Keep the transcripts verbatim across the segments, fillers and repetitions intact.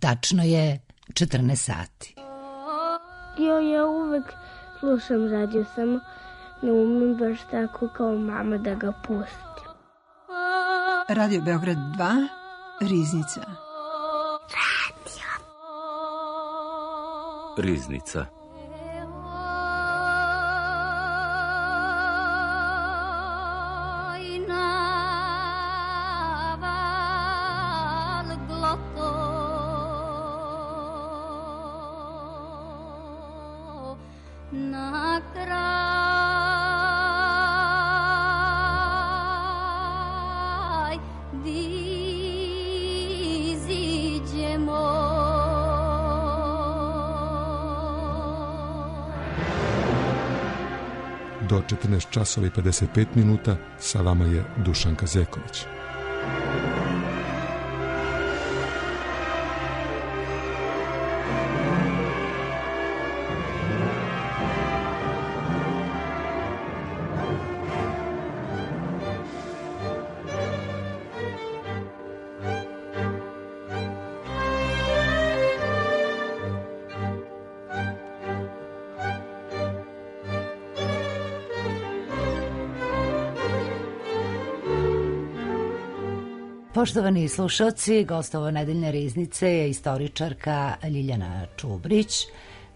Tačno je četrnaest sati. Jo, ja uvek slušam radio, samo ne umem baš tako kao mama da ga pustim. Radio Beograd dva, Riznica. Radio. Riznica. Do četrnaest časova i pedeset pet minuta sa vama je Dušanka Zeković. Poštovani slušalci, gost ovo nedeljne Riznice je istoričarka Ljiljana Čubrić,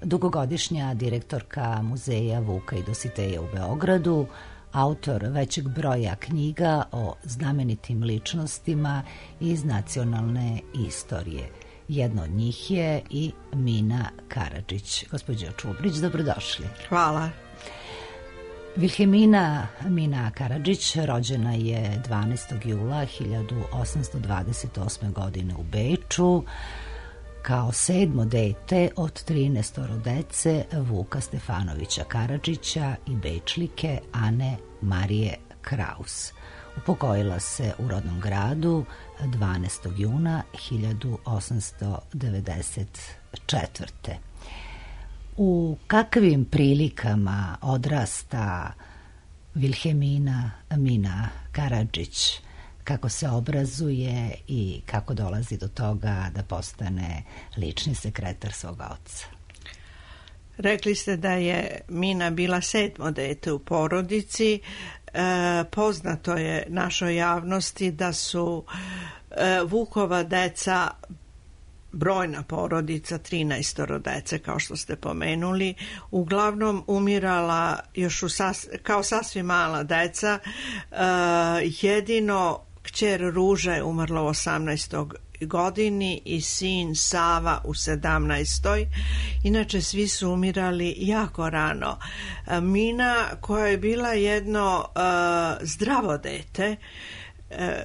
dugogodišnja direktorka Muzeja Vuka i Dositeja u Beogradu, autor većeg broja knjiga o znamenitim ličnostima iz nacionalne istorije. Jedna od njih je i Mina Karadžić. Gospođo Čubrić, dobrodošli. Hvala. Vilhelmina Mina Karadžić rođena je dvanaestog jula hiljadu osamsto dvadeset osme. godine u Beču kao sedmo dete od trinaestoro dece Vuka Stefanovića Karadžića i Bečlike Ane Marije Kraus. Upokojila se u rodnom gradu dvanaestog juna hiljadu osamsto devedeset četvrte. U kakvim prilikama odrasta Vilhelmina Mina Karadžić, kako se obrazuje i kako dolazi do toga da postane lični sekretar svog oca? Rekli ste da je Mina bila sedmo dete u porodici. E, poznato je našoj javnosti da su e, Vukova deca brojna porodica, trinaestoro dece, kao što ste pomenuli, uglavnom umirala još u sas, kao sasvim mala deca. E, jedino kćer Ruža je umrla u osamnaestoj godini i sin Sava u sedamnaestoj. Inače, svi su umirali jako rano. E, Mina, koja je bila jedno e, zdravo dete, e,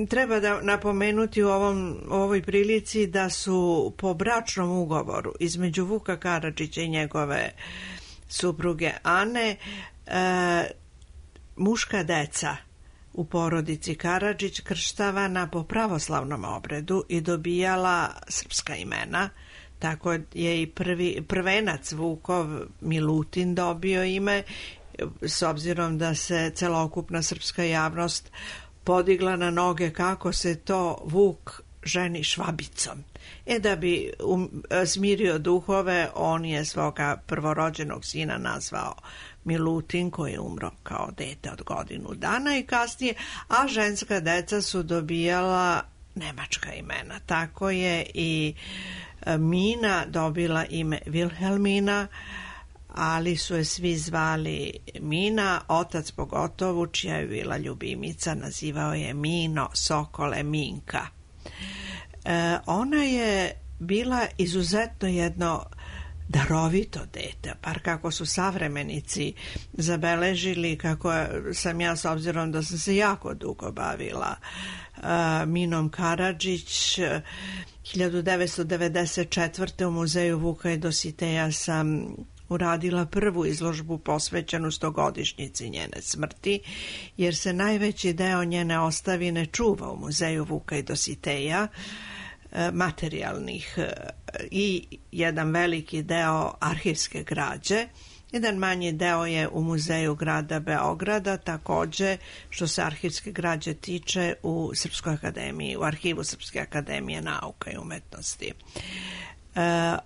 treba da napomenuti u ovom, ovoj prilici da su po bračnom ugovoru između Vuka Karadžića i njegove supruge Ane e, muška deca u porodici Karadžić krštavana po pravoslavnom obredu i dobijala srpska imena. Tako je i prvi, prvenac Vukov Milutin dobio ime, s obzirom da se celokupna srpska javnost podigla na noge kako se to Vuk ženi Švabicom. E da bi um, smirio duhove, on je svoga prvorođenog sina nazvao Milutin, koji je umro kao dete od godinu dana i kasnije, a ženska deca su dobijala nemačka imena. Tako je i Mina dobila ime Vilhelmina, ali su je svi zvali Mina, otac pogotovo, čija je bila ljubimica, nazivao je Mino, Sokole, Minka. E, ona je bila izuzetno jedno darovito dete, par kako su savremenici zabeležili, kako sam ja, s obzirom da sam se jako dugo bavila uh, Minom Karadžić, hiljadu devetsto devedeset četvrte. u Muzeju Vuka i Dositeja sam uradila prvu izložbu posvećenu stogodišnjici njene smrti, jer se najveći deo njene ostavine čuva u Muzeju Vuka i Dositeja, materijalnih, i jedan veliki deo arhivske građe, Jedan manji deo je u Muzeju grada Beograda, takođe što se arhivske građe tiče u Srpskoj akademiji, u arhivu Srpske akademije nauka i umetnosti. E,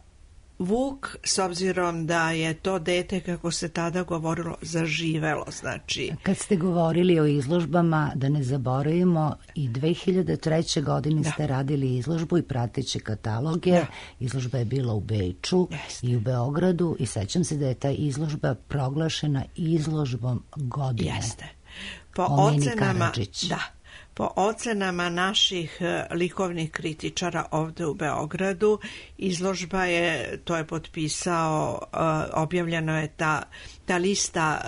Vuk, s obzirom da je to dete, kako se tada govorilo, zaživelo, znači... Kad ste govorili o izložbama, da ne zaboravimo, i dve hiljade treće. godine da. ste radili izložbu i prateće kataloge. Da. Izložba je bila u Beču Jeste. i u Beogradu i sećam se da je ta izložba proglašena izložbom godine. Jeste. Po ocenama... Da. Po ocenama naših likovnih kritičara ovde u Beogradu, izložba je, to je potpisao, objavljeno je ta, ta lista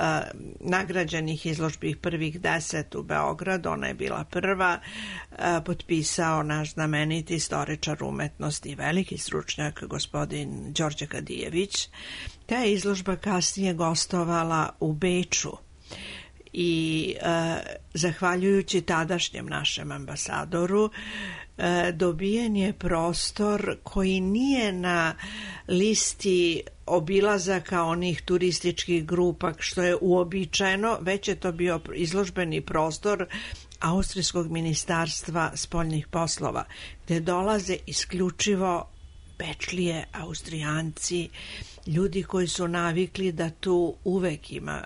nagrađenih izložbi prvih deset u Beogradu, ona je bila prva, potpisao naš znameniti istoričar umetnosti i veliki stručnjak gospodin Đorđe Kadijević. Ta je izložba kasnije gostovala u Beču. I e, zahvaljujući tadašnjem našem ambasadoru e, dobijen je prostor koji nije na listi obilazaka onih turističkih grupa što je uobičajeno, već je to bio izložbeni prostor Austrijskog ministarstva spoljnih poslova, gde dolaze isključivo Bečlije, Austrijanci, ljudi koji su navikli da tu uvek ima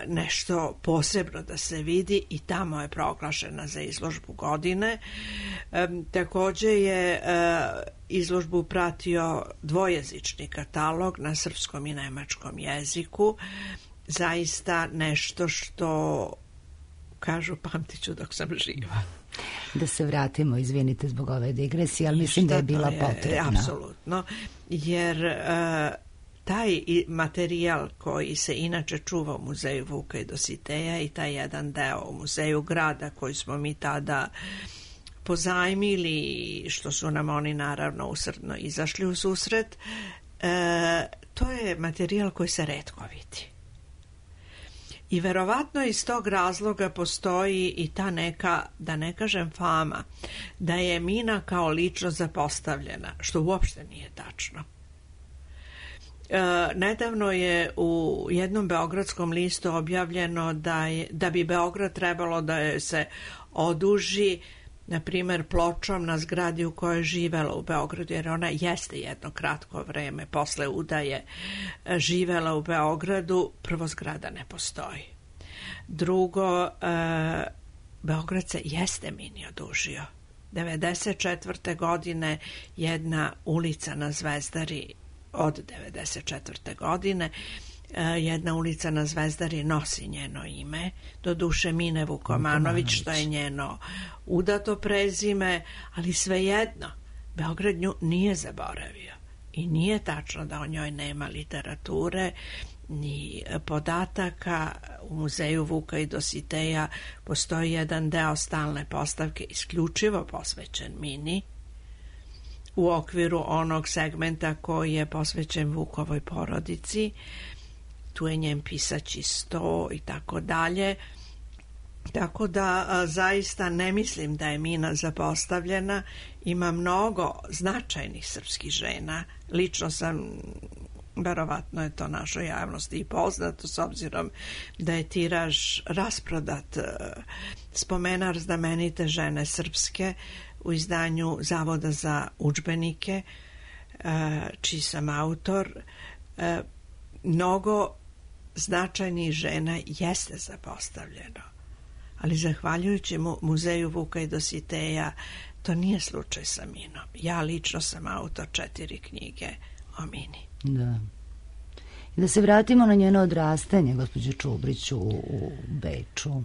nešto posebno da se vidi i tamo je proglašena za izložbu godine. E, takođe je e, izložbu pratio dvojezični katalog na srpskom i nemačkom jeziku. Zaista nešto što, kažu, pamtiću dok sam živa. Da se vratimo, izvinite zbog ove digresije, ali mislim da je bila potrebna. Apsolutno, jer e, taj materijal koji se inače čuva u Muzeju Vuka i Dositeja i taj jedan deo u Muzeju grada koji smo mi tada pozajmili, što su nam oni naravno usrdno izašli u susret, e, to je materijal koji se retko vidi. I verovatno iz tog razloga postoji i ta neka, da ne kažem fama, da je Mina kao lično zapostavljena, što uopšte nije tačno. E, nedavno je u jednom beogradskom listu objavljeno da, je, da bi Beograd trebalo da je se oduži, na primjer, pločom na zgradi u kojoj je živela u Beogradu, jer ona jeste jedno kratko vreme posle udaje živela u Beogradu. Prvo, zgrada ne postoji. Drugo, e, Beograd se jeste Mini odužio. devedeset četvrte. godine jedna ulica na Zvezdari, od devedeset četvrte. godine, jedna ulica na Zvezdari nosi njeno ime, doduše Mine Vukomanović, što je njeno udato prezime, ali svejedno, Beograd nju nije zaboravio. I nije tačno da o njoj nema literature, ni podataka. U Muzeju Vuka i Dositeja postoji jedan deo stalne postavke isključivo posvećen Mini, u okviru onog segmenta koji je posvećen Vukovoj porodici. Tu je njen pisaći sto i tako dalje. Tako da a, zaista ne mislim da je Mina zapostavljena. Ima mnogo značajnih srpskih žena. Lično sam, verovatno je to našoj javnosti i poznato, s obzirom da je tiraž rasprodat. Spomenar znamenite žene srpske u izdanju Zavoda za udžbenike, čiji sam autor. Mnogo značajnih žena jeste zapostavljeno, ali zahvaljujući mu, Muzeju Vuka i Dositeja to nije slučaj sa Minom. Ja lično sam autor četiri knjige o Mini. Da. I da se vratimo na njeno odrastanje, gospođo Čubrić, u, u Beču.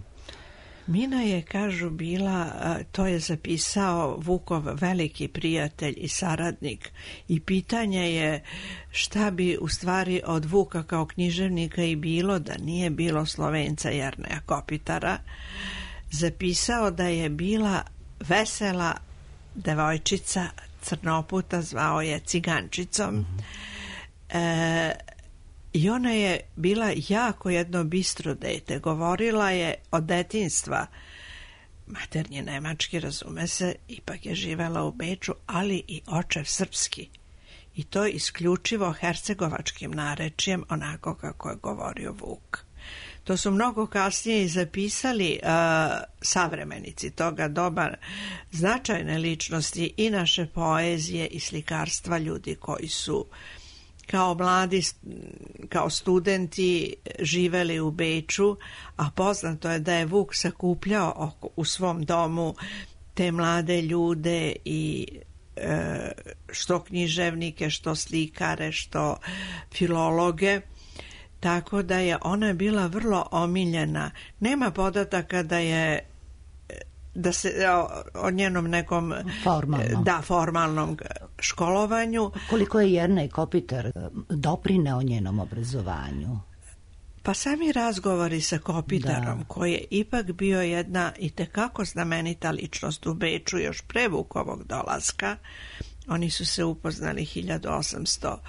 Mina je, kažu, bila, to je zapisao Vukov veliki prijatelj i saradnik, i pitanje je šta bi u stvari od Vuka kao književnika i bilo da nije bilo Slovenca Jerneja Kopitara. Zapisao da je bila vesela devojčica, crnoputa, zvao je Cigančicom. Mm-hmm. e, I ona je bila jako jedno bistro dete. Govorila je od detinjstva. Maternji nemački, razume se, ipak je živela u Beču, ali i očev srpski. i to isključivo hercegovačkim narečjem, onako kako je govorio Vuk. To su mnogo kasnije i zapisali uh, savremenici toga doba, značajne ličnosti i naše poezije i slikarstva, ljudi koji su kao mladi, kao studenti živeli u Beču, a poznato je da je Vuk sakupljao u svom domu te mlade ljude i e, što književnike, što slikare, što filologe, tako da je ona bila vrlo omiljena. Nema podataka da je da se o, o njenom nekom Formalno. da, formalnom školovanju. Koliko je Jernej Kopitar doprineo njenom obrazovanju? Pa sami razgovori sa Kopitarom, Da. koji je ipak bio jedna itekako znamenita ličnost u Beču još pre Vukovog dolaska. Oni su se upoznali hiljadu osamsto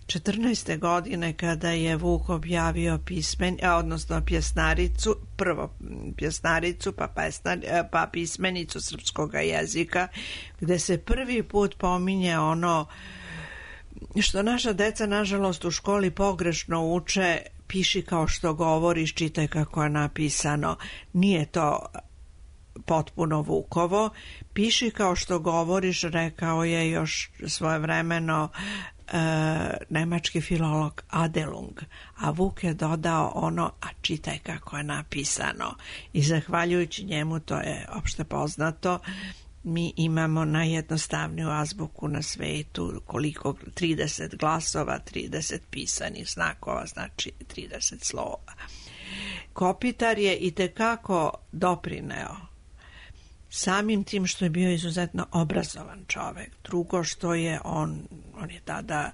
četrnaeste. godine kada je Vuk objavio pismen, odnosno pjesnaricu, prvo pjesnaricu pa, pesnar, pa pismenicu srpskog jezika, gde se prvi put pominje ono što naša deca nažalost u školi pogrešno uče: piši kao što govoriš, čitaj kako je napisano. Nije to potpuno Vukovo. Piši kao što govoriš, rekao je još svojevremeno e, nemački filolog Adelung, a Vuk je dodao ono: a čitaj kako je napisano. I zahvaljujući njemu, to je opšte poznato, mi imamo najjednostavniju azbuku na svetu, koliko trideset glasova, trideset pisanih znakova, znači trideset slova. Kopitar je itekako doprineo samim tim što je bio izuzetno obrazovan čovek. Drugo što je on, on je tada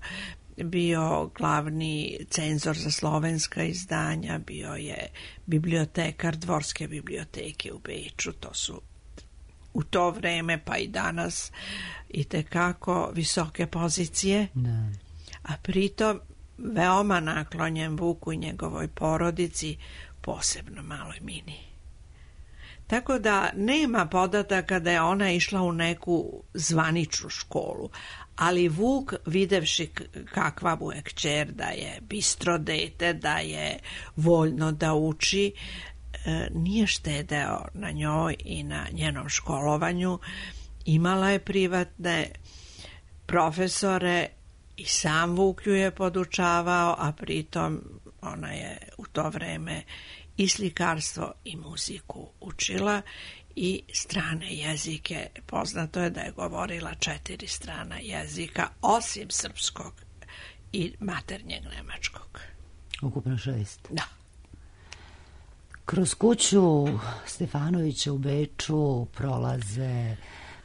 bio glavni cenzor za slovenska izdanja, bio je bibliotekar Dvorske biblioteke u Beču, to su u to vreme pa i danas itekako visoke pozicije, Da. a pritom veoma naklonjen Vuku i njegovoj porodici, posebno maloj Mini. Tako da nema podataka da je ona išla u neku zvaničnu školu, ali Vuk, videvši kakva mu je kćer, da je bistro dete, da je voljno da uči, nije štedeo na njoj i na njenom školovanju. Imala je privatne profesore i sam Vuk ju je podučavao, a pritom ona je u to vreme i slikarstvo i muziku učila i strane jezike. Poznato je da je govorila četiri strana jezika, osim srpskog i maternjeg nemačkog. Ukupno šest. Da. Kroz kuću Stefanovića u Beču prolaze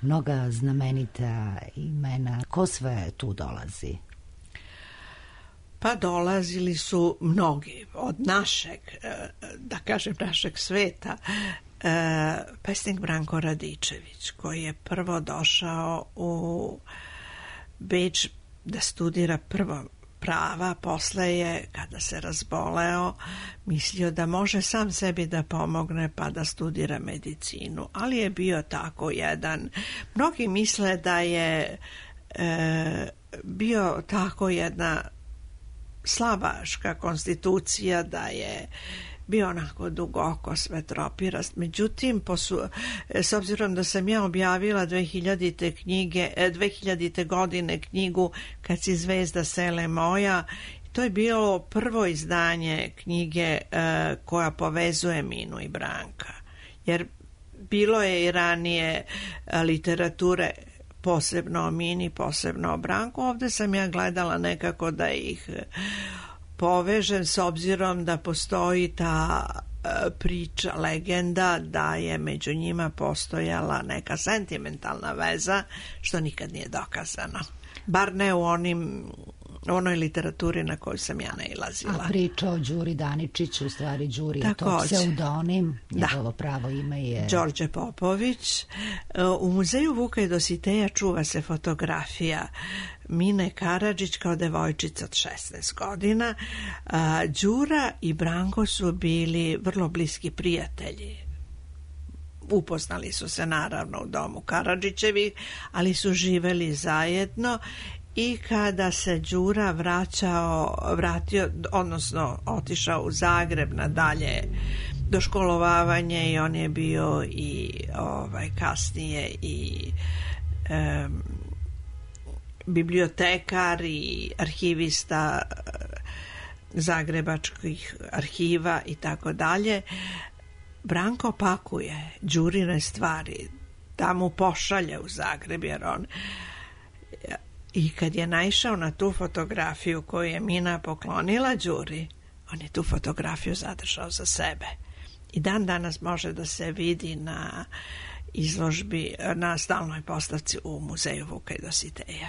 mnoga znamenita imena. Ko sve tu dolazi? Pa dolazili su mnogi od našeg, da kažem našeg sveta. Pesnik Branko Radičević, koji je prvo došao u Beč da studira prvo prava, posle je, kada se razboleo, mislio da može sam sebi da pomogne pa da studira medicinu, ali je bio tako jedan. Mnogi misle da je e, bio tako jedna slavaška konstitucija, da je bio onako dugoko svetropirast. Međutim, posu, s obzirom da sam ja objavila dve hiljadite knjige, dve hiljadite godine knjigu Kad si zvezda sele moja, to je bilo prvo izdanje knjige e, koja povezuje Minu i Branka. Jer bilo je i ranije literature posebno o Mini, posebno o Branku. Ovde sam ja gledala nekako da ih povežem, s obzirom da postoji ta priča, legenda da je među njima postojala neka sentimentalna veza, što nikad nije dokazano. Bar ne u onim onoj literaturi na koju sam ja nailazila. A priča o Đuri Daničiću, u stvari Đuri je to Takođe. pseudonim, Da. njegovo pravo ime je Đorđe Popović. U muzeju Vuka i Dositeja čuva se fotografija Mine Karadžić kao devojčica od šesnaest godina. Đura i Branko su bili vrlo bliski prijatelji. Upoznali su se naravno u domu Karadžićevi, ali su živeli zajedno i kada se Đura vraćao, vratio, odnosno otišao u Zagreb na dalje doškolovavanje, i on je bio i ovaj, kasnije i um, bibliotekar i arhivista zagrebačkih arhiva i tako dalje. Branko pakuje Đurine stvari, da mu pošalje u Zagreb, jer on, i kad je naišao na tu fotografiju koju je Mina poklonila Đuri, on je tu fotografiju zadržao za sebe i dan danas može da se vidi na izložbi, na stalnoj postavci u muzeju Vuka i Dositeja.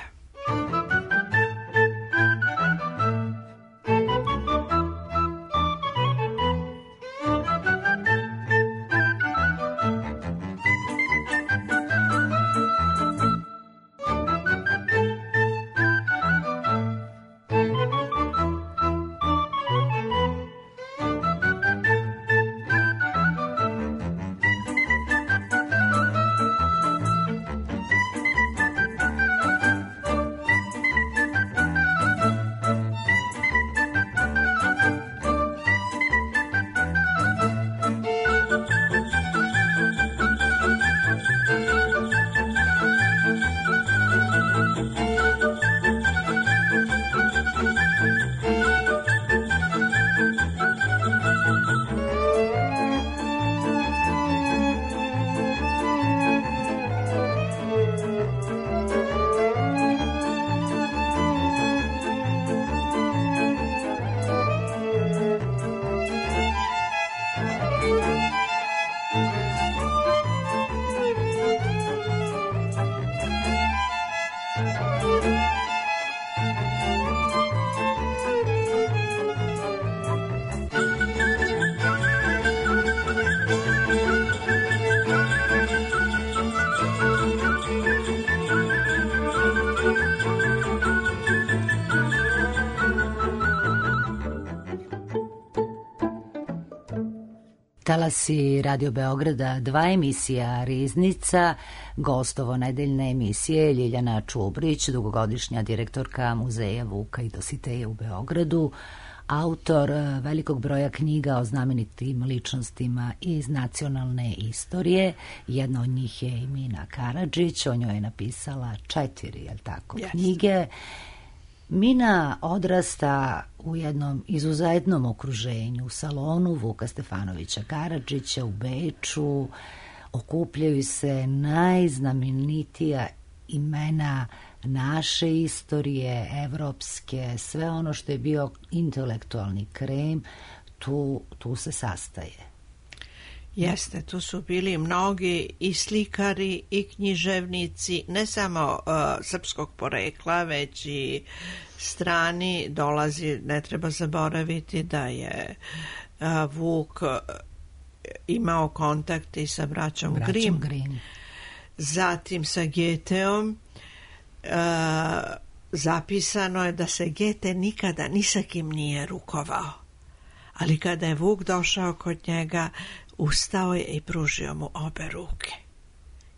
Talasi Radio Beograda, dva emisija Riznica, gostovo nedeljne emisije Ljiljana Čubrić, dugogodišnja direktorka Muzeja Vuka i Dositeja u Beogradu, autor velikog broja knjiga o znamenitim ličnostima iz nacionalne istorije. Jedna od njih je i Mina Karadžić, o njoj je napisala četiri, jel tako, yes. knjige. Mina odrasta u jednom izuzetnom okruženju, u salonu Vuka Stefanovića Karadžića u Beču. Okupljaju se najznamenitija imena naše istorije, evropske, sve ono što je bio intelektualni krem, tu, tu se sastaje. Jeste, tu su bili mnogi i slikari i književnici, ne samo uh, srpskog porekla, već i strani. Dolazi, ne treba zaboraviti da je uh, Vuk uh, imao kontakt i sa braćom, braćom Grimm, Grimm, zatim sa Geteom. Uh, zapisano je da se Gete nikada ni sa kim nije rukovao, ali kada je Vuk došao kod njega, ustao je i pružio mu obe ruke.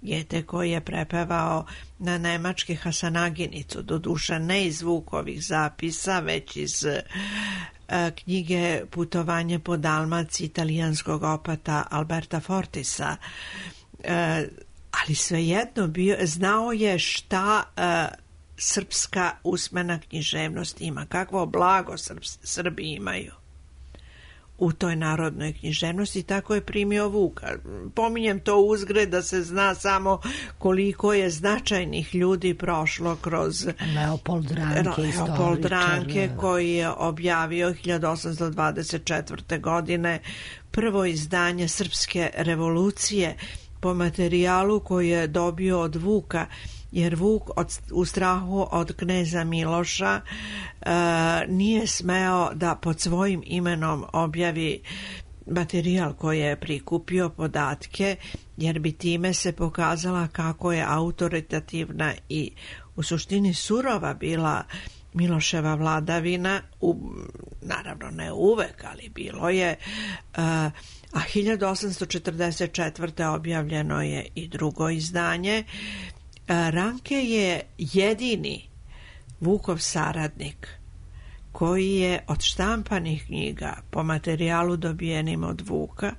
Gete, koji je prepevao na nemački Hasanaginicu, doduše ne iz Vukovih zapisa, već iz uh, knjige Putovanje po Dalmaciji italijanskog opata Alberta Fortisa, uh, ali svejedno bio, znao je šta uh, srpska usmena književnost ima, kakvo blago Srb, Srbi imaju u toj narodnoj književnosti. Tako je primio Vuka. Pominjem to uzgred da se zna samo koliko je značajnih ljudi prošlo kroz Leopold Ranke, Leopold Ranke, koji je objavio hiljadu osamsto dvadeset četvrte. godine prvo izdanje Srpske revolucije po materijalu koji je dobio od Vuka, jer Vuk od, u strahu od kneza Miloša e, nije smeo da pod svojim imenom objavi materijal koji je prikupio, podatke, jer bi time se pokazala kako je autoritativna i u suštini surova bila Miloševa vladavina, u, naravno ne uvek, ali bilo je, a, a hiljadu osamsto četrdeset četvrte. objavljeno je i drugo izdanje. Ranke je jedini Vukov saradnik, koji je od štampanih knjiga po materijalu dobijenim od Vuka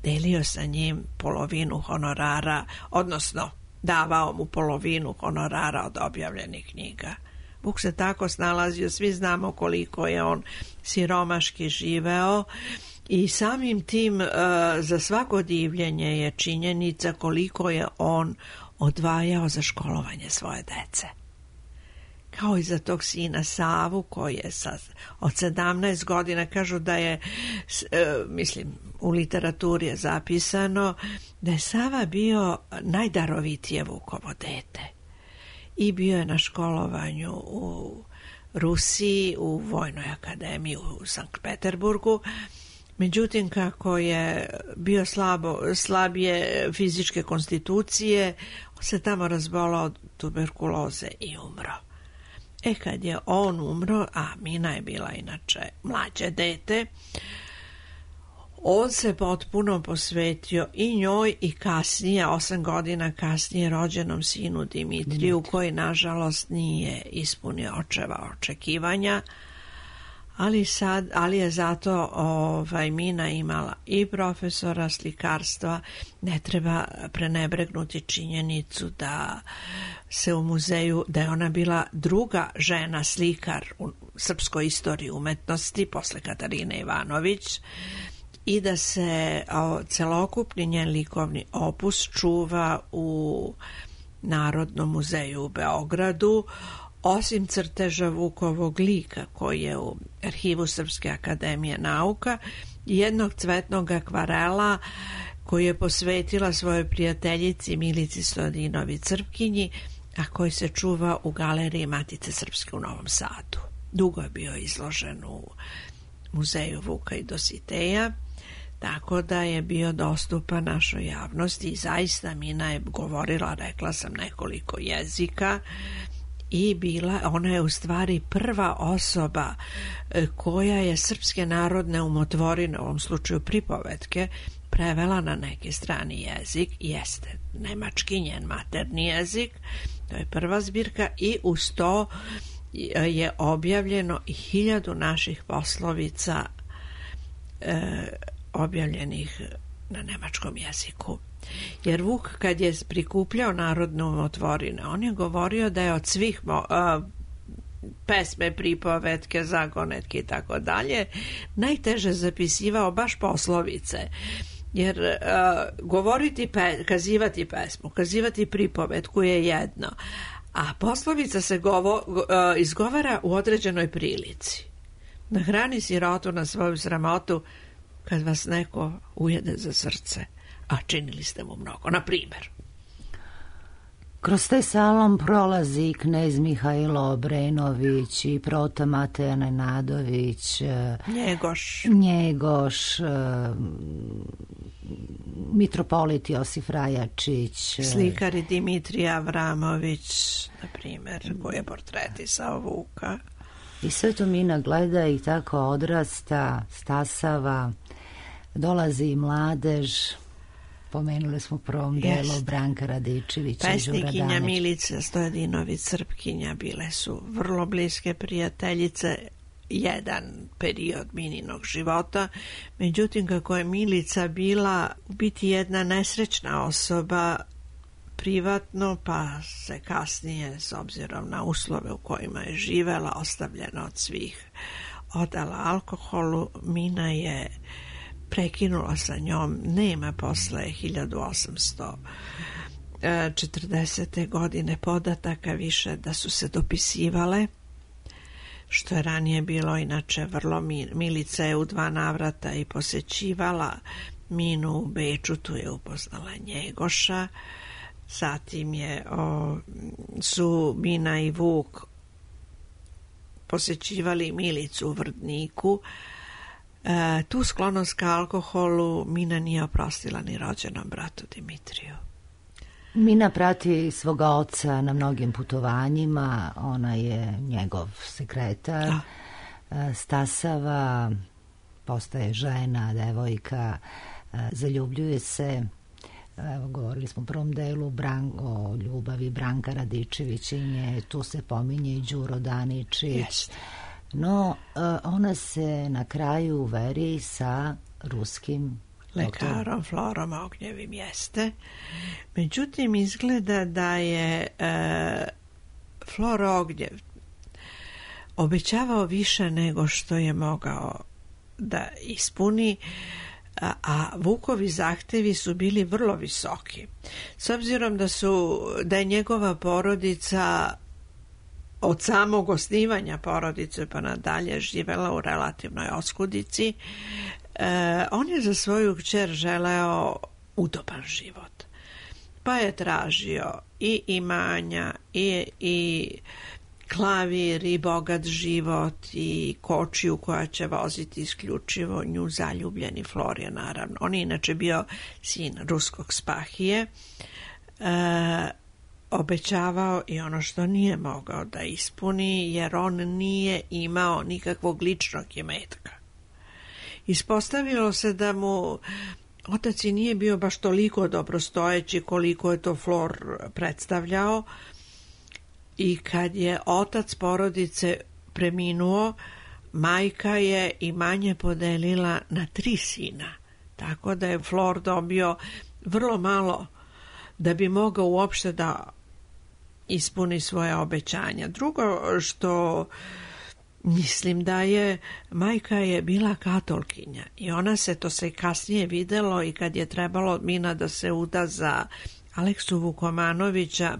delio sa njim polovinu honorara, odnosno davao mu polovinu honorara od objavljenih knjiga. Vuk se tako snalazio, svi znamo koliko je on siromaški živeo i samim tim uh, za svako divljenje je činjenica koliko je on odvajao za školovanje svoje dece. Kao i za tog sina Savu koji je sa, od sedamnaest godina, kažu da je, e, mislim, u literaturi je zapisano da je Sava bio najdarovitije Vukovo dete i bio je na školovanju u Rusiji, u Vojnoj akademiji u Sankt Peterburgu. Međutim, kako je bio slabo, slabije fizičke konstitucije, on se tamo razbolao od tuberkuloze i umro. E kad je on umro, a Mina je bila inače mlađe dete, on se potpuno posvetio i njoj i kasnije, osam godina kasnije, rođenom sinu Dimitriju, Dimitri. koji nažalost nije ispunio očeva očekivanja, ali, sad, ali je zato ovaj, Mina imala i profesora slikarstva. Ne treba prenebregnuti činjenicu da se u muzeju, da je ona bila druga žena slikar u srpskoj istoriji umetnosti posle Katarine Ivanović i da se o, celokupni njen likovni opus čuva u Narodnom muzeju u Beogradu. Osim crteža Vukovog lika koji je u arhivu Srpske akademije nauka i jednog cvetnog akvarela koji je posvetila svojoj prijateljici Milici Stojadinovi Crpkinji, a koji se čuva u galeriji Matice Srpske u Novom Sadu. Dugo je bio izložen u muzeju Vuka i Dositeja, tako da je bio dostupan našoj javnosti i zaista Mina je govorila, rekla sam, nekoliko jezika i bila, ona je u stvari prva osoba koja je srpske narodne umotvorine, u ovom slučaju pripovetke, prevela na neki strani jezik. Jeste nemački njen materni jezik, to je prva zbirka, i uz to je objavljeno i hiljadu naših poslovica e, objavljenih na nemačkom jeziku. Jer Vuk kad je prikupljao narodne umotvorine, on je govorio da je od svih mo, a, pesme, pripovetke, zagonetke i tako dalje najteže zapisivao baš poslovice. Jer uh, govoriti, pe, kazivati pesmu, kazivati pripovetku je jedno, a poslovica se govo, uh, izgovara u određenoj prilici. Nahrani sirotu na svoju sramotu kad vas neko ujede za srce, a činili ste mu mnogo, na primjer. Kroz taj salon prolazi i knez Mihajlo Obrenović i prota Mateja Nenadović, Njegoš, Njegoš, mitropolit Josif Rajačić, slikari Dimitrij Avramović, na primjer, koji je portretisao Vuka. I sve to Mina gleda i tako odrasta, stasava, dolazi i mladež. Pomenuli smo u prvom delu Branka Radičevića, pesnikinja Milica Stojadinović Crpkinja bile su vrlo bliske prijateljice jedan period Mininog života. Međutim, kako je Milica bila u biti jedna nesrećna osoba privatno, pa se kasnije, s obzirom na uslove u kojima je živela, ostavljena od svih, odala alkoholu, Mina je prekinula sa njom. Nema posle hiljadu osamsto četrdesete godine podataka više da su se dopisivale, što je ranije bilo inače vrlo. Milica je u dva navrata i posećivala Minu u Beču, tu je upoznala Njegoša, zatim je o, su Mina i Vuk posećivali Milicu u Vrdniku. E, tu sklonost ka alkoholu Mina nije oprostila ni rođenom bratu Dimitriju. Mina prati svoga oca na mnogim putovanjima, ona je njegov sekretar. A. Stasava, postaje žena, devojka, zaljubljuje se, evo, govorili smo u prvom delu Bran, o ljubavi Branka Radičevićinje, tu se pominje i Đuro Daničić. Jest. No, ona se na kraju uveri sa ruskim lekarom Florom Ognjevim, jeste. Međutim, izgleda da je e, Flor Ognjev obećavao više nego što je mogao da ispuni, a, a Vukovi zahtevi su bili vrlo visoki. S obzirom da su da je njegova porodica od samog osnivanja porodice pa nadalje živela u relativnoj oskudici, e, on je za svoju kćer želeo udoban život. Pa je tražio i imanja i, i klavir i bogat život i kočiju koja će voziti isključivo nju zaljubljeni Florije, naravno. On je inače bio sin ruskog spahije, e, obećavao i ono što nije mogao da ispuni, jer on nije imao nikakvog ličnog imetka. Ispostavilo se da mu otac i nije bio baš toliko dobrostojeći koliko je to Flor predstavljao, i kad je otac porodice preminuo, majka je imanje podelila na tri sina, tako da je Flor dobio vrlo malo da bi mogao uopšte da ispuni svoje obećanja. Drugo što mislim da je, majka je bila katolkinja i ona se, to se kasnije videlo i kad je trebalo Mina da se uda za Aleksu Vukomanovića,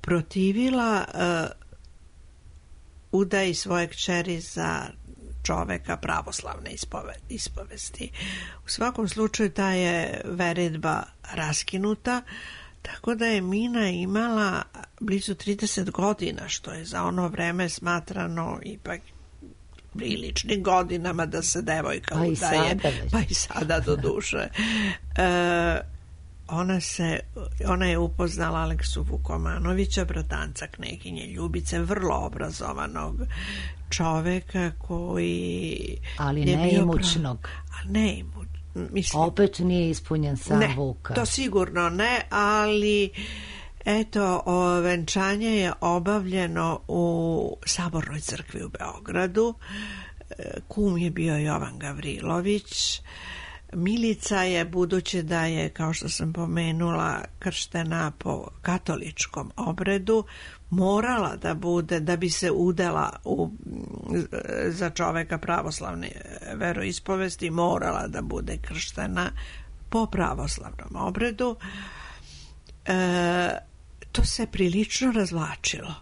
protivila uh, udaji svoje kćeri za čoveka pravoslavne ispove, ispovesti. U svakom slučaju ta je veredba raskinuta, tako da je Mina imala blizu trideset godina, što je za ono vreme smatrano ipak priličnim godinama da se devojka pa udaje, i pa i sada do duše. E, ona, se, ona je upoznala Aleksu Vukomanovića, bratanca kneginje Ljubice, vrlo obrazovanog čoveka koji... Ali neimućnog. Prav... Neimuć. Mislim, opet nije ispunjen sam ne, Vuka. To sigurno ne, ali eto, o, venčanje je obavljeno u Sabornoj crkvi u Beogradu. Kum je bio Jovan Gavrilović. Milica je, budući da je, kao što sam pomenula, krštena po katoličkom obredu, morala da bude, da bi se udala u, za čoveka pravoslavne veroispovesti, morala da bude krštena po pravoslavnom obredu. E, to se prilično razvlačilo.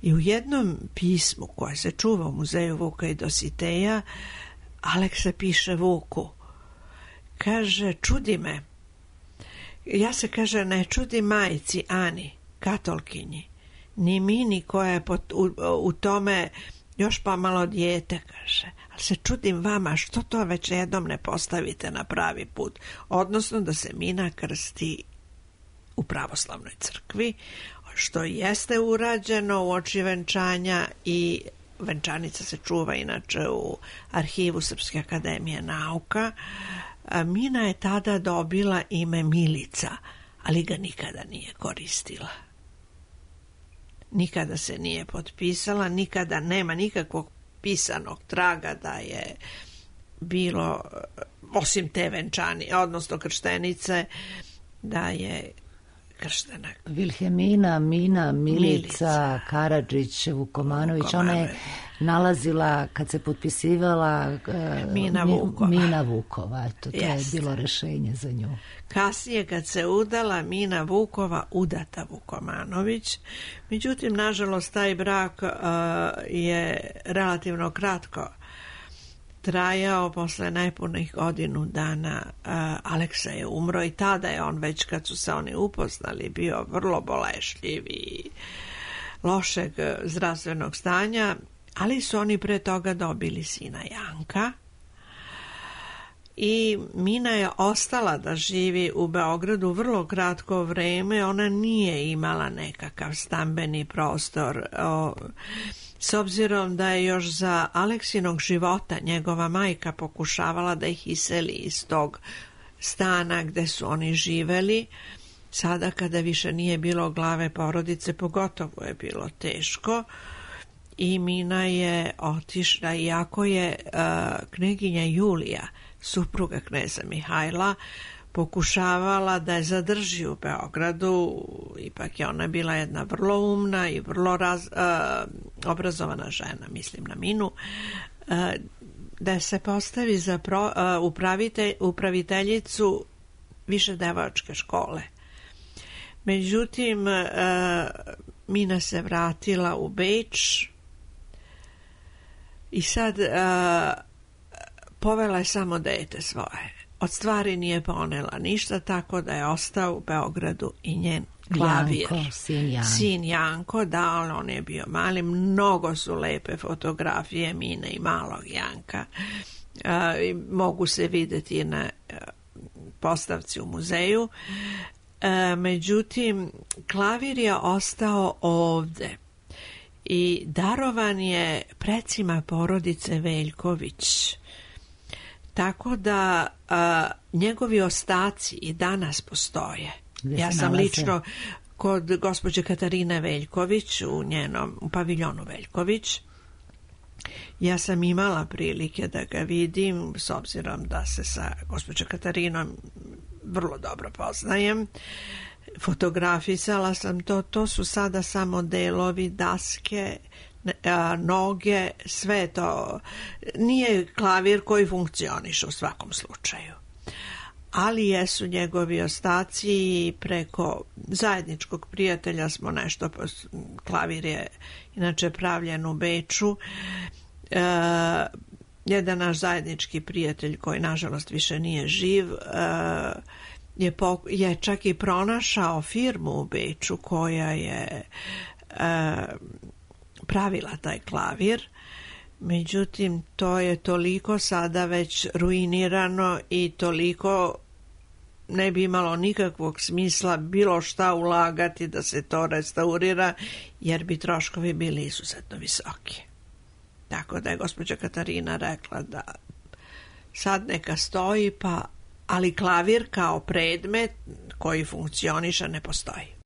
I u jednom pismu koje se čuva u muzeju Vuka i Dositeja, Aleksa piše Vuku, kaže, čudi me, ja se, kaže, ne čudi majci Ani, katolkinji, ni Mini koja je pot, u, u tome još pa malo dijete, kaže, ali se čudim vama što to već jednom ne postavite na pravi put, odnosno da se Mina krsti u pravoslavnoj crkvi, što jeste urađeno u oči venčanja i venčanica se čuva inače u arhivu Srpske akademije nauka. Mina je tada dobila ime Milica, ali ga nikada nije koristila. Nikada se nije potpisala, nikada nema nikakvog pisanog traga da je bilo, osim te venčani, odnosno krštenice, da je krštena. Vilhelmina, Mina, Milica, Milica. Karadžić, Vukomanović, Vukomanović. ona je nalazila, kad se potpisivala, Mina Vukova. Mina Vukova, eto, to Jeste. je bilo rešenje za nju. Kasnije kad se udala Mina Vukova, udata Vukomanović. Međutim, nažalost, taj brak uh, je relativno kratko trajao. Posle najpunih godinu dana uh, Aleksa je umro i tada je on, već kad su se oni upoznali, bio vrlo bolešljiv i lošeg zdravstvenog stanja, ali su oni pre toga dobili sina Janka i Mina je ostala da živi u Beogradu vrlo kratko vreme. Ona nije imala nekakav stambeni prostor, o, s obzirom da je još za Aleksinog života njegova majka pokušavala da ih iseli iz tog stana gde su oni živeli. Sada kada više nije bilo glave porodice, pogotovo je bilo teško. I Mina je otišla, iako je uh, kneginja Julija, supruga kneza Mihajla, pokušavala da je zadrži u Beogradu. Ipak je ona bila jedna vrlo umna i vrlo raz, uh, obrazovana žena, mislim na Minu, uh, da se postavi za pro, uh, upravite, upraviteljicu više devojačke škole. Međutim, uh, Mina se vratila u Beč i sad uh, povela je samo dete svoje. Od stvari nije ponela ništa, tako da je ostao u Beogradu i njen klavir. Janko, sin Janko. Sin Janko, da, ali on je bio mali. Mnogo su lepe fotografije Mine i malog Janka. Uh, mogu se vidjeti na uh, postavci u muzeju. Uh, međutim, klavir je ostao ovde i darovan je precima porodice Veljković. Tako da a, njegovi ostaci i danas postoje. Gde ja sam nalaze? Lično kod gospođe Katarine Veljković u njenom u paviljonu Veljković. Ja sam imala prilike da ga vidim, s obzirom da se sa gospođom Katarinom vrlo dobro poznajem. Fotografisala sam to. To su sada samo delovi, daske, noge, sve to. Nije klavir koji funkcioniše u svakom slučaju. Ali jesu njegovi ostaci i preko zajedničkog prijatelja smo nešto, klavir je inače pravljen u Beču. E, jedan naš zajednički prijatelj koji nažalost više nije živ e, je, po, je čak i pronašao firmu u Beču koja je e, pravila taj klavir. Međutim, to je toliko sada već ruinirano i toliko ne bi imalo nikakvog smisla bilo šta ulagati da se to restaurira, jer bi troškovi bili izuzetno visoki. Tako da je gospođa Katarina rekla da sad neka stoji, pa, ali klavir kao predmet koji funkcioniše ne postoji.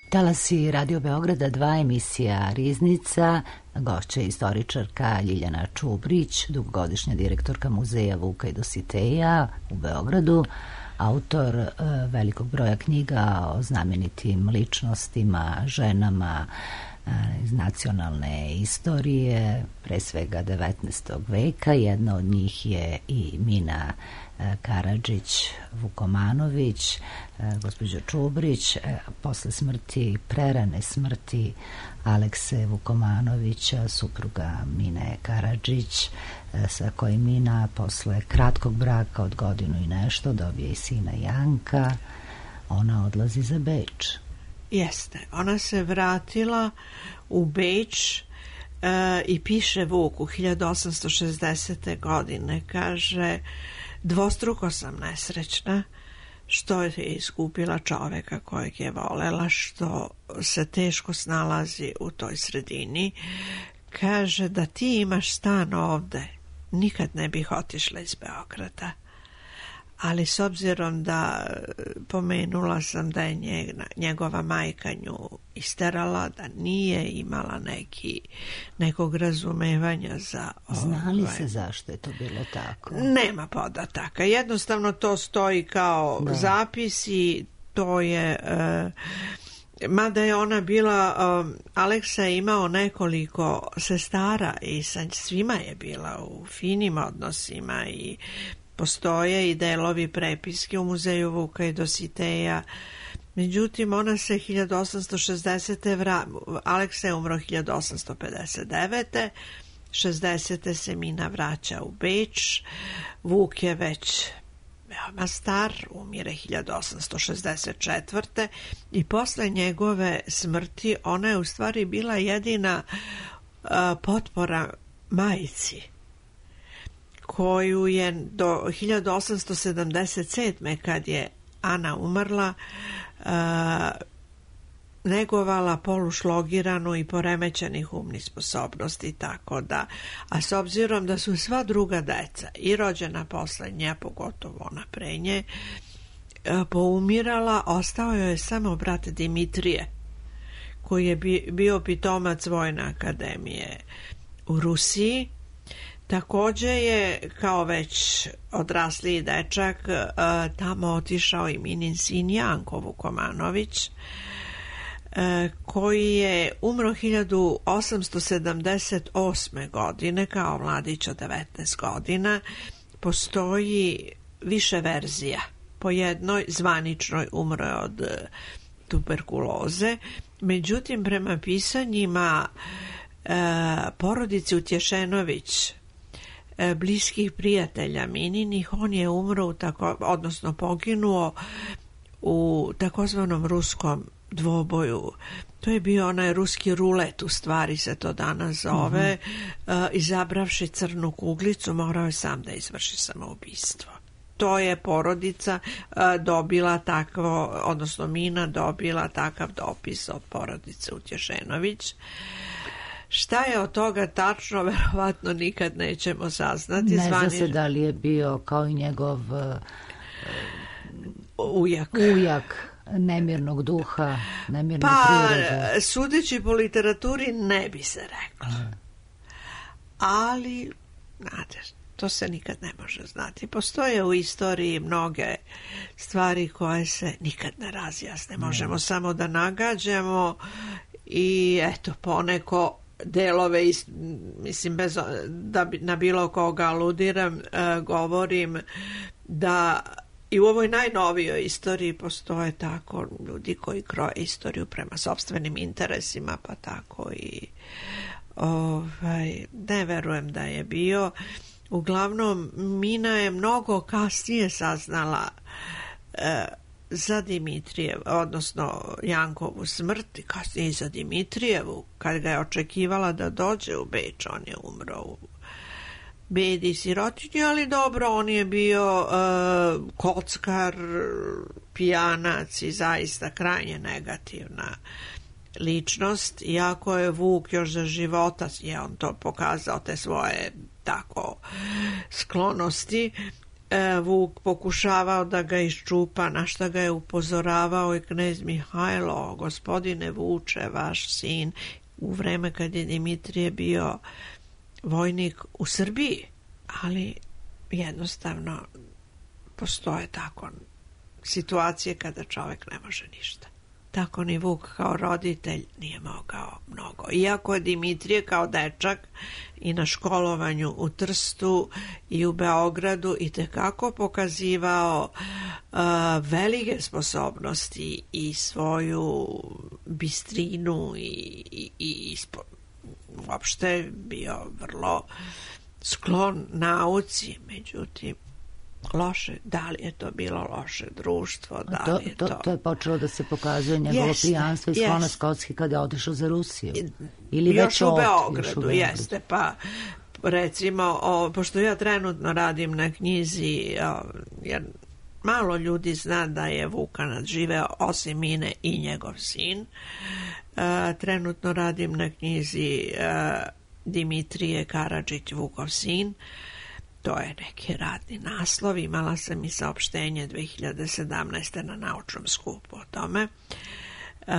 Talasi Radio Beograda dva, emisija Riznica, gošća je istoričarka Ljiljana Čubrić, dugogodišnja direktorka muzeja Vuka i Dositeja u Beogradu, autor e, velikog broja knjiga o znamenitim ličnostima, ženama e, iz nacionalne istorije, pre svega devetnaestog veka. Jedna od njih je i Mina Karadžić Vukomanović. Gospođo Čubrić, posle smrti, prerane smrti Alekse Vukomanovića, supruga Mine Karadžić, sa kojim Mina posle kratkog braka od godinu i nešto dobije i sina Janka. ona odlazi za Beč. Jeste, ona se vratila u Beč e, i piše Vuku hiljadu osamsto šezdesete godine, kaže: dvostruko sam nesrećna što je izgubila čoveka kojeg je volela, što se teško snalazi u toj sredini. Kaže: da ti imaš stan ovde, nikad ne bih otišla iz Beograda. Ali s obzirom da pomenula sam da je njegova majka nju isterala, da nije imala neki, nekog razumevanja za... Zna li ovaj, se zašto je to bilo tako? Nema podataka. Jednostavno to stoji kao da. Zapis i to je... Uh, mada je ona bila... Um, Aleksa je imao nekoliko sestara i sa svima je bila u finim odnosima i postoje i delovi prepiske u muzeju Vuka i Dositeja. Međutim, ona se hiljadu osamsto šezdesete vra... Aleksa je umro hiljadu osamsto pedeset devete šezdesete se Mina vraća u Beč. Vuk je već veoma star, umire hiljadu osamsto šezdeset četvrte i posle njegove smrti ona je u stvari bila jedina uh, potpora majci, koju je do hiljadu osamsto sedamdeset sedme kad je Ana umrla uh, negovala polušlogiranu i poremećenih umnih sposobnosti, tako da, a s obzirom da su sva druga deca i rođena posle nje, pogotovo ona pre nje, poumirala, ostao joj je samo brat Dimitrije, koji je bio pitomac Vojne akademije u Rusiji. Takođe je, kao već odrasli dečak, tamo otišao i Minin sin Janko Vukomanović, koji je umro hiljadu osamsto sedamdeset osme godine kao mladić od devetnaest godina. Postoji više verzija. Po jednoj zvaničnoj umro je od tuberkuloze, međutim prema pisanjima e, porodice Utješenović, e, bliskih prijatelja Mininih, on je umro u tako, odnosno poginuo u takozvanom ruskom dvoboju. To je bio onaj ruski rulet, u stvari se to danas zove. Mm-hmm. uh, izabravši crnu kuglicu, morao je sam da izvrši samoubistvo. To je porodica uh, dobila takvo, odnosno Mina dobila takav dopis od porodice Utješenović. Šta je od toga tačno, verovatno nikad nećemo saznati. Ne Zvani... zna se da li je bio kao i njegov uh, ujak. ujak nemirnog duha, nemirne pa, prirode. Pa, sudeći po literaturi ne bi se reklo. Mm. Ali, znate, to se nikad ne može znati. Postoje u istoriji mnoge stvari koje se nikad ne razjasne. Možemo mm. samo da nagađamo i eto, poneko delove, ist, mislim, bez, da bi, na bilo koga aludiram, uh, govorim da i u ovoj najnovijoj istoriji postoje tako ljudi koji kroje istoriju prema sopstvenim interesima, pa tako i ovaj, ne verujem da je bio. Uglavnom, Mina je mnogo kasnije saznala e, za Dimitrijev, odnosno Jankovu smrt, kasnije i za Dimitrijevu, kad ga je očekivala da dođe u Beč, on je umro u bedi sirotinji, ali dobro, on je bio uh, kockar, pijanac i zaista krajnje negativna ličnost, iako je Vuk još za života je on to pokazao, te svoje tako sklonosti. uh, Vuk pokušavao da ga iščupa, na šta ga je upozoravao i knez Mihajlo: gospodine Vuče, vaš sin, u vreme kad je Dimitrije bio vojnik u Srbiji, ali jednostavno postoje tako situacije kada čovjek ne može ništa. Tako ni Vuk kao roditelj nije mogao mnogo. Iako je Dimitrije kao dečak i na školovanju u Trstu i u Beogradu itekako pokazivao uh, velike sposobnosti i svoju bistrinu i, i, i spo, uopšte bio vrlo sklon nauci, međutim loše, da li je to bilo loše društvo, da to, li je to... to... To je počelo da se pokazuje njegovo jeste, pijanstvo i sklona Skotski kada je otišao za Rusiju. Ili još, već u od, Beogradu, još u Beogradu, jeste, pa recimo, o, pošto ja trenutno radim na knjizi, o, jer malo ljudi zna da je Vukan živeo osim Mine i njegov sin. E, trenutno radim na knjizi e, Dimitrije Karadžić, Vukov sin. To je neki radni naslov. Imala sam i saopštenje dve hiljade sedamnaeste. na naučnom skupu o tome. E,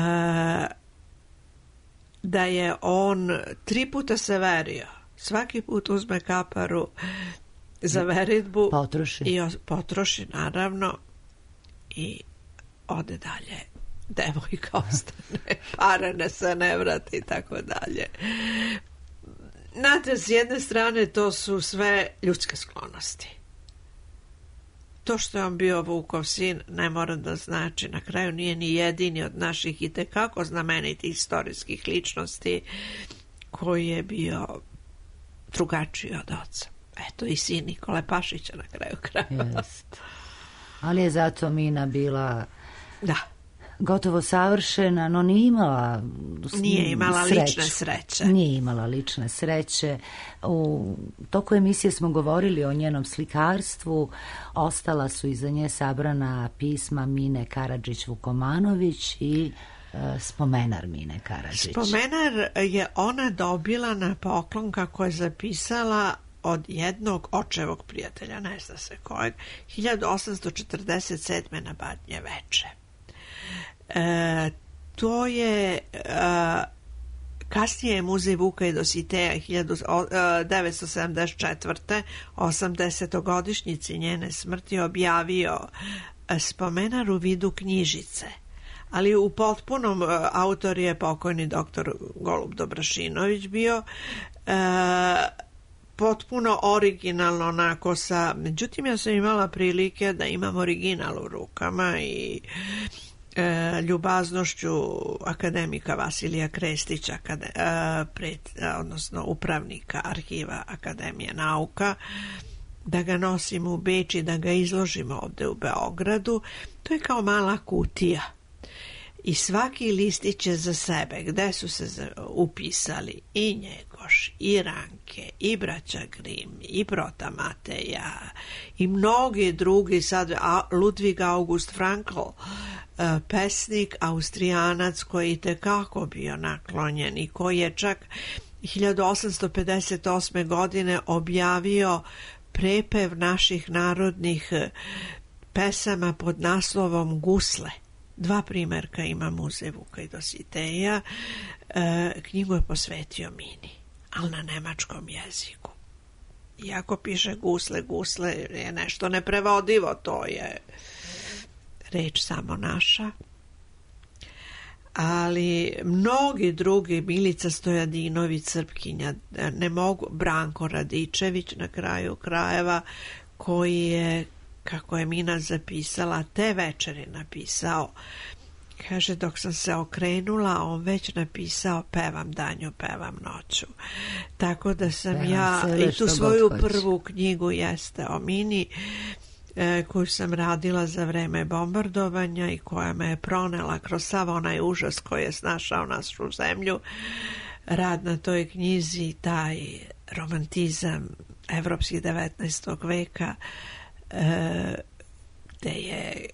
da je on tri puta se verio. Svaki put uzme kaparu za veritbu potroši. i potroši, naravno, i ode dalje. Devojka ostane, pare ne se ne vrati i tako dalje. Znate, s jedne strane to su sve ljudske sklonosti. To što je on bio Vukov sin ne mora da znači, na kraju nije ni jedini od naših i tekako znamenitih istorijskih ličnosti koji je bio drugačiji od oca. Eto i sin Nikole Pašića na kraju krajeva. Jest. Ali je zato Mina bila da. gotovo savršena, no nije imala nije imala sreću. lične sreće. Nije imala lične sreće. U toku emisije smo govorili o njenom slikarstvu. Ostala su iza nje sabrana pisma Mine Karadžić-Vukomanović i e, spomenar Mine Karadžić. Spomenar je ona dobila na poklon, kako je zapisala, od jednog očevog prijatelja, ne zna se kojeg, hiljadu osamsto četrdeset sedme. na Badnje veče. E, to je e, kasnije Muzej Vuka i Dositeja hiljadu devetsto sedamdeset četvrte. osamdesetogodišnjici njene smrti objavio spomenar u vidu knjižice, ali u potpunom, autor je pokojni doktor Golub Dobrašinović bio, e, potpuno originalno onako sa, međutim ja sam imala prilike da imam original u rukama i e, ljubaznošću akademika Vasilija Krestića, kade, e, pred, odnosno upravnika arhiva Akademije nauka, da ga nosim u Beč i da ga izložimo ovde u Beogradu. To je kao mala kutija i svaki listić je za sebe, gde su se upisali i Njegoš, i Ranke, i braća Grim, i Prota Mateja, i mnogi drugi, sad Ludwig August Frankl, pesnik Austrijanac koji je tekako bio naklonjen i koji je čak hiljadu osamsto pedeset osme. godine objavio prepev naših narodnih pesama pod naslovom Gusle. Dva primjerka ima Muzej Vuka i Dositeja. E, knjigu je posvetio Mini, ali na nemačkom jeziku. Iako piše gusle, gusle je nešto neprevodivo, to je reč samo naša. Ali mnogi drugi, Milica Stojadinović, Srpkinja, ne mogu, Branko Radičević na kraju krajeva, koji je, kako je Mina zapisala, te večeri napisao, kaže, dok sam se okrenula, on već napisao pevam danju, pevam noću. Tako da sam pevam ja i tu svoju prvu knjigu jeste o Mini, e, koju sam radila za vreme bombardovanja i koja me je pronela kroz sav onaj užas koji je snašao našu zemlju. Rad na toj knjizi, taj romantizam evropskih devetnaestog veka, e, gde je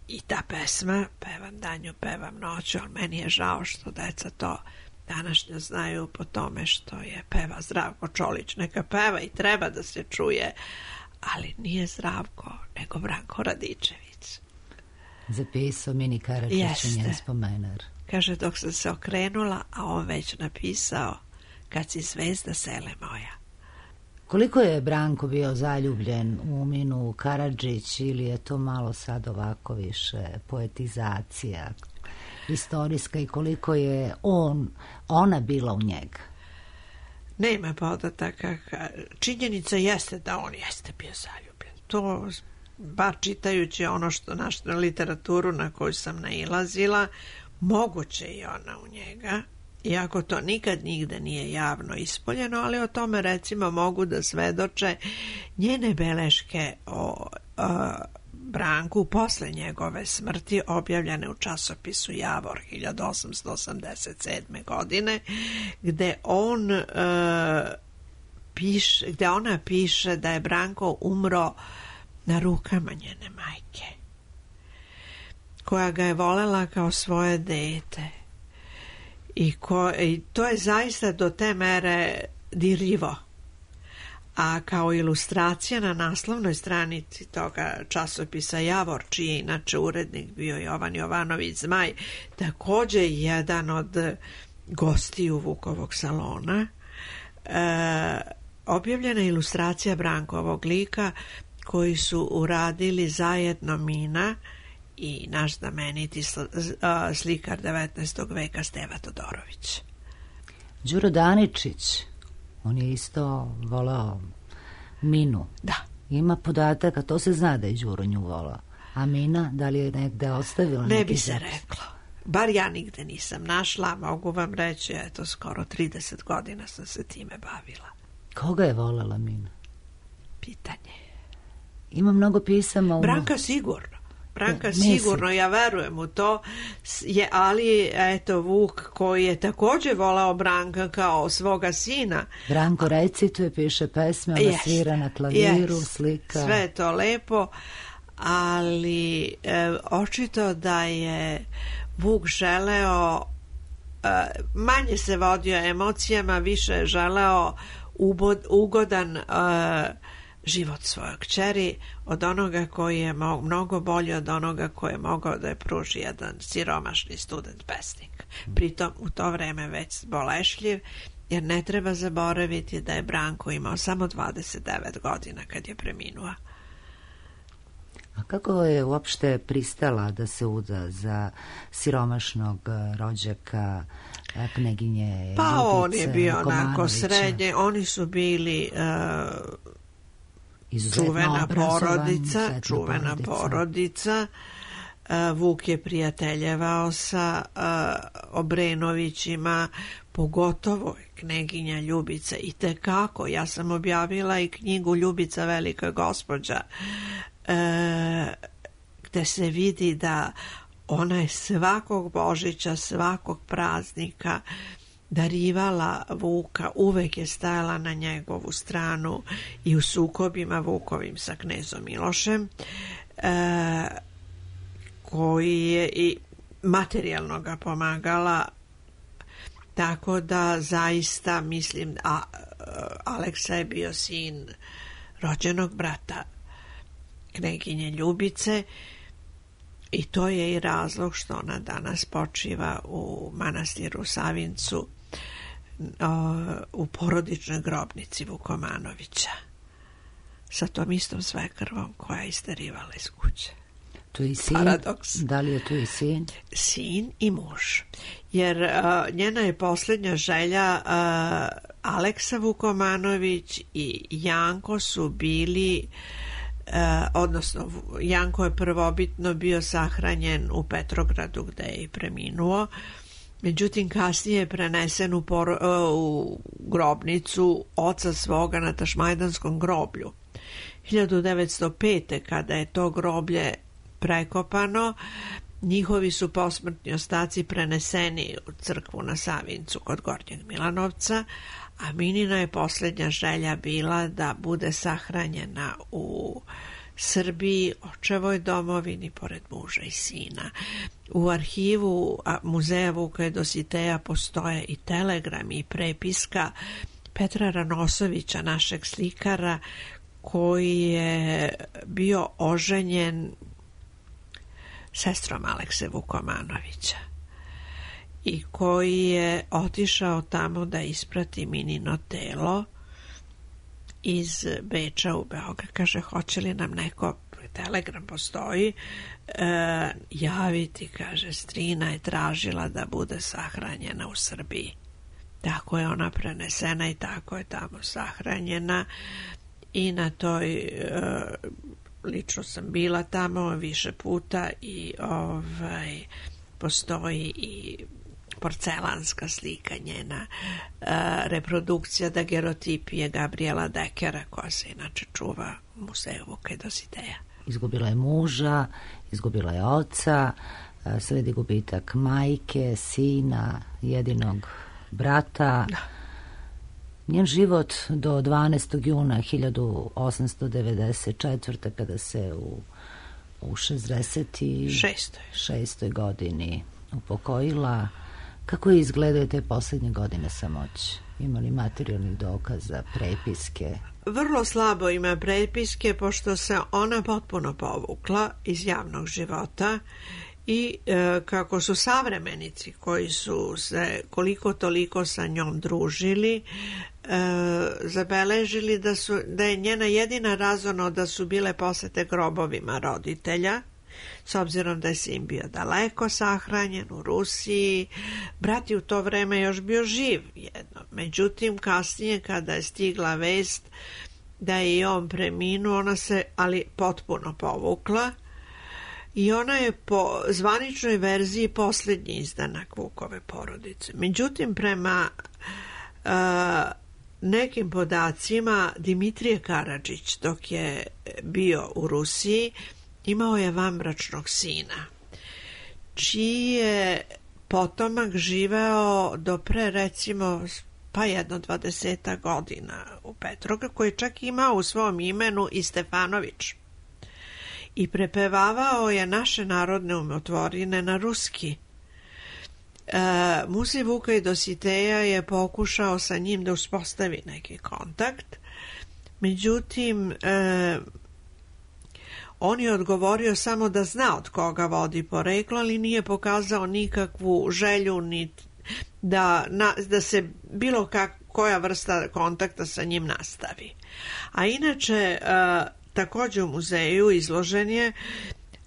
i ta pesma, pevam danju, pevam noću, ali meni je žao što deca to današnje znaju po tome što je peva Zdravko Čolić. Neka peva i treba da se čuje, ali nije Zdravko, nego Branko Radičević. Zapisao Mini Karadžić njen spomenar. Kaže, dok sam se okrenula, a on već napisao, kad si zvezda sele moja. Koliko je Branko bio zaljubljen u Minu Karadžić, ili je to malo sad ovako više poetizacija istorijska, i koliko je on, ona bila u njega? Nema podataka. Činjenica jeste da on jeste bio zaljubljen. To, bar čitajući ono što našu literaturu na koju sam nailazila, moguće je ona u njega, iako to nikad nigde nije javno ispoljeno, ali o tome recimo mogu da svedoče njene beleške o Branku posle njegove smrti, objavljene u časopisu Javor hiljadu osamsto osamdeset sedme. godine, gde on uh, piše, gde ona piše da je Branko umro na rukama njene majke, koja ga je volela kao svoje dete. I, ko, i to je zaista do te mere dirljivo. A kao ilustracija na naslovnoj stranici toga časopisa Javor, čiji je inače urednik bio Jovan Jovanović Zmaj, takođe jedan od gostiju Vukovog salona, e, objavljena ilustracija Brankovog lika koji su uradili zajedno Mina i naš znameniti slikar devetnaestog veka Steva Todorović. Đuro Daničić, on je isto volao Minu. Da. Ima podataka, to se zna da je Đuro nju volao. A Mina, da li je negde ostavila? Ne bi se zapis? Reklo. Bar ja nigde nisam našla, mogu vam reći, eto, skoro trideset godina sam se time bavila. Koga je volela Mina? Pitanje. Ima mnogo pisama. U... Branka sigurno. Branka sigurno, ja verujem u to, je, ali eto Vuk koji je takođe volao Branka kao svoga sina. Branko recituje, piše pesme, ona yes, svira na klaviru, yes, slika. Sve je to lepo, ali e, očito da je Vuk želeo, e, manje se vodio emocijama, više je želeo ubod, ugodan e, život svoje kćeri od onoga koji je mo- mnogo bolji od onoga koji je mogao da je pruži jedan siromašni student pesnik. Pritom u to vreme već bolešljiv, jer ne treba zaboraviti da je Branko imao samo dvadeset devet godina kad je preminuo. A kako je uopšte pristala da se uda za siromašnog rođaka kneginje pa Ljubice on je bio onako Komanovića? Srednje, oni su bili uh, čuvena porodica, čuvena porodica. porodica. Uh, Vuk je prijateljevao sa uh, Obrenovićima, pogotovo kneginja Ljubica, i tekako. Ja sam objavila i knjigu Ljubica velika gospođa, uh, gde se vidi da ona je svakog Božića, svakog praznika darivala Vuka, uvek je stajala na njegovu stranu i u sukobima Vukovim sa knezom Milošem, e, koji je i materijalno ga pomagala, tako da zaista mislim, a Aleksa je bio sin rođenog brata kneginje Ljubice, i to je i razlog što ona danas počiva u manastiru Savincu, u porodičnoj grobnici Vukomanovića, sa tom istom svekrvom koja je isterivala iz kuće. Tu je sin? Paradoks. Da li je tu i sin? Sin i muž. Jer uh, njena je posljednja želja, uh, Aleksa Vukomanović i Janko su bili, uh, odnosno Janko je prvobitno bio sahranjen u Petrogradu gde je i preminuo, međutim kasnije je prenesen u, por, uh, u grobnicu oca svoga na Tašmajdanskom groblju. hiljadu devetsto pete. kada je to groblje prekopano, njihovi su posmrtni ostaci preneseni u crkvu na Savincu kod Gornjeg Milanovca, a Minina je posljednja želja bila da bude sahranjena u Srbiji, očevoj domovini, pored muža i sina. U arhivu muzeja Vuka Dositeja postoje i telegrami i prepiska Petra Ranosovića, našeg slikara, koji je bio oženjen sestrom Alekse Vukomanovića i koji je otišao tamo da isprati Minino telo iz Beča u Beograd. Kaže, hoće li nam neko, telegram postoji, e, javiti, kaže, strina je tražila da bude sahranjena u Srbiji. Tako je ona prenesena i tako je tamo sahranjena, i na toj e, lično sam bila tamo više puta i ovaj, postoji i porcelanska slika njena, uh, reprodukcija dagerotipije Gabriela Dekera, koja se inače čuva u muzeju Vuka Dositeja. Izgubila je muža, izgubila je oca, sledi gubitak majke, sina, jedinog brata. Da. Njen život do dvanaestog juna hiljadu osamsto devedeset četvrte. kada se u, u šezdeset šestoj godini upokojila. Kako je izgledaju te posljednje godine samoći? Ima li materijalnih dokaza, prepiske? Vrlo slabo ima prepiske, pošto se ona potpuno povukla iz javnog života i e, kako su savremenici koji su se koliko toliko sa njom družili, e, zabeležili da, su, da je njena jedina razono da su bile posete grobovima roditelja, s obzirom da je sin bio daleko sahranjen u Rusiji. Brat je u to vreme još bio živ jedno. Međutim, kasnije kada je stigla vest da je i on preminuo, ona se ali potpuno povukla i ona je po zvaničnoj verziji posljednji izdanak Vukove porodice. Međutim, prema uh, nekim podacima, Dimitrije Karadžić, dok je bio u Rusiji, imao je vanbračnog sina, čiji je potomak živeo do pre, recimo, pa jedno dvadeseta godina u Petroga, koji je čak imao u svom imenu i Stefanović. I prepevavao je naše narodne umotvorine na ruski. E, Muzej Vuka i Dositeja je pokušao sa njim da uspostavi neki kontakt, međutim, e, on je odgovorio samo da zna od koga vodi poreklo, ali nije pokazao nikakvu želju ni da, na, da se bilo kak, koja vrsta kontakta sa njim nastavi. A inače, uh, također u muzeju izložen je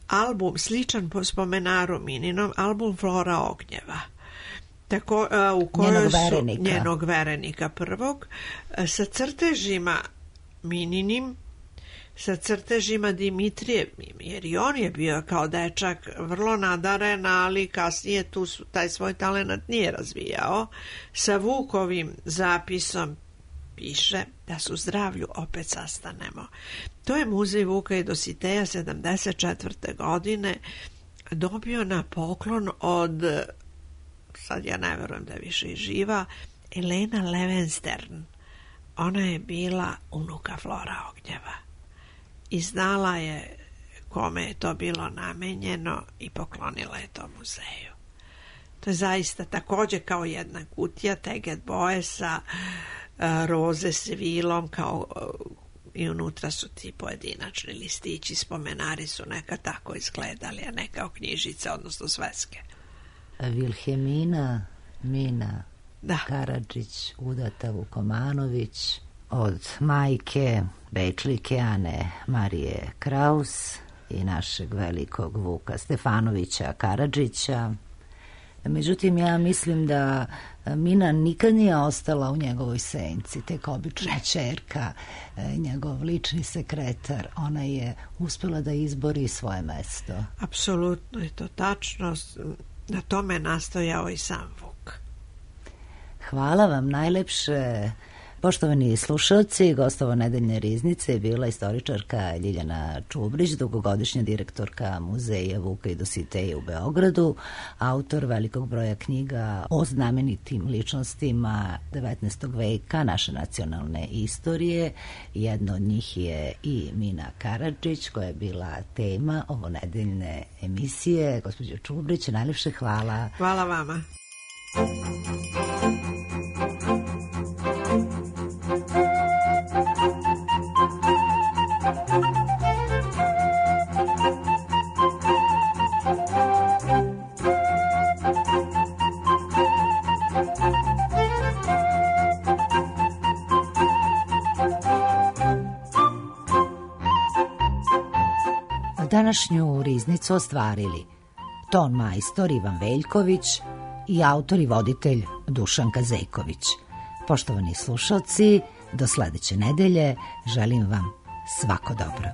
album sličan po spomenaru Mininom, album Flora Ognjeva. Tako, uh, u kojoj njenog su verenika. njenog verenika prvog, uh, sa crtežima Mininim, sa crtežima Dimitrijevim, jer i on je bio kao dečak vrlo nadaren, ali kasnije tu su, taj svoj talenat nije razvijao. Sa Vukovim zapisom piše da su zdravlju opet sastanemo. To je Muzej Vuka i Dositeja sedamdeset četvrte. godine dobio na poklon od, sad ja ne verujem da je više i živa, Elena Levenstern. Ona je bila unuka Flora Ognjeva i znala je kome je to bilo namenjeno i poklonila je to muzeju. To je zaista također kao jedna kutija teget boje sa uh, roze s vilom, kao uh, i unutra su ti pojedinačni listići, spomenari su neka tako izgledali, a ne kao knjižice, odnosno sveske. Vilhelmina Mina Da. Karadžić, udata Vukomanović, od majke Bečlike Ane Marije Kraus i našeg velikog Vuka Stefanovića Karadžića. Međutim, ja mislim da Mina nikad nije ostala u njegovoj senci, tek obična ćerka, njegov lični sekretar. Ona je uspjela da izbori svoje mesto. Apsolutno je to tačno. Na tome nastojao i sam Vuk. Hvala vam najlepše. Poštovani slušalci, gostova nedeljne riznice je bila istoričarka Ljiljana Čubrić, dugogodišnja direktorka Muzeja Vuka i Dositeja u Beogradu, autor velikog broja knjiga o znamenitim ličnostima devetnaestog veka naše nacionalne istorije. Jedna od njih je i Mina Karadžić, koja je bila tema ovo nedeljne emisije. Gospođo Čubrić, najlepše hvala. Hvala vama. Današnju riznicu ostvarili ton majstor Ivan Veljković i autor i voditelj Dušan Kazejković. Poštovani slušalci, do sledeće nedelje želim vam svako dobro.